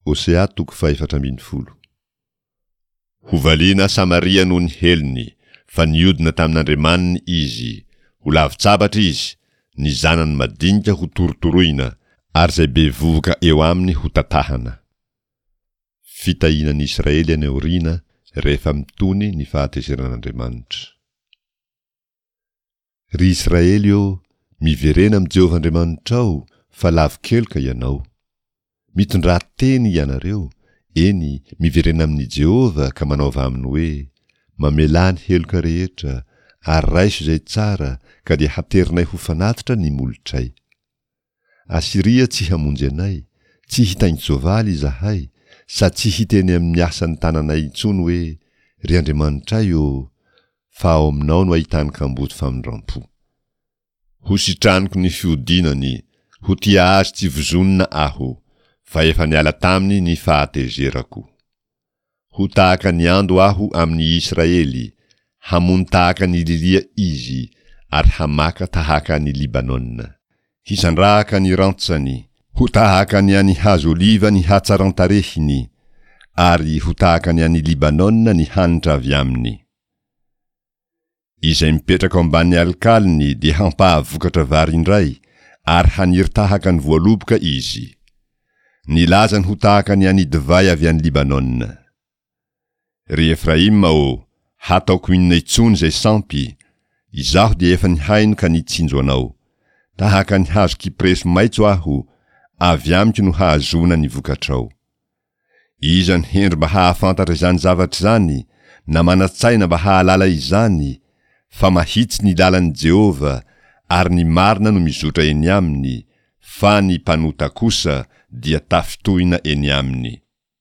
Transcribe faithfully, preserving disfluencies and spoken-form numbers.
Hosea toko fahefatra ambin'ny folo. Hovaliana Samaria noho ny helony, fa niodina tamin'Andriamaniny izy, ho lavin-tsabatra izy, ny zanany madinika ho torotoroina, ary izay bevohoka eo aminy ho tatahana. Fitahiana ny Israely any aoriana rehefa mitony ny fahatezeran'Andriamanitra. Ry Israely ô, miverena amin'i Jehovah Andriamanitrao, fa lavo-keloka ianao. Mitondrà teny ianareo, eny, miverena amin'i Jehovah ka manaova aminy hoe, Mamelà ny heloka rehetra, ary raiso izay tsara, ka dia haterinay ho fanatitra ny molotray. Asyria tsy hamonjy anay, tsy hitaingin-tsoavaly izahay, sady tsy hiteny amin'ny asan'ny tananay intsony hoe, Ry Andriamanitray ô, fa ao aminao no ahitany kamboty famindram-po. Ho sitraniko ny fihodinany, ho tia azy tsy vozonina aho, fa efa niala taminy ny fahatezerako. Ho tahaka ny ando aho amin'ny Israely, hamono tahaka ny lilia izy, ary hamaka tahaka an'i Libanona. Hisandrahaka ny rantsany, ho tahaka ny an'ny hazo oliva ny hatsaran-tarehiny, ary ho tahaka ny an'i Libanona ny hanitra avy aminy. Izay mipetraka ao ambanin'ny alokalony dia hampahavokatra vary indray, ary haniry tahaka ny voaloboka izy. Ny lazany ho tahaka ny an'ny divay avy any Libanona. Ry Efraima ô, hataoko inona intsony izay sampy? Izaho dia efa nihaino ka nitsinjo anao. Tahaka ny hazo kypreso maitso aho, avy amiko no hahazoana ny vokatrao. Iza ny hendry mba hahafantatra izany zavatra izany, na manan-tsaina mba hahalala izany? Fa mahitsy ny lalan'i Jehovah, ary ny marina no mizotra eny aminy, fa ny mpanota kosa dia tafintohina eny aminy.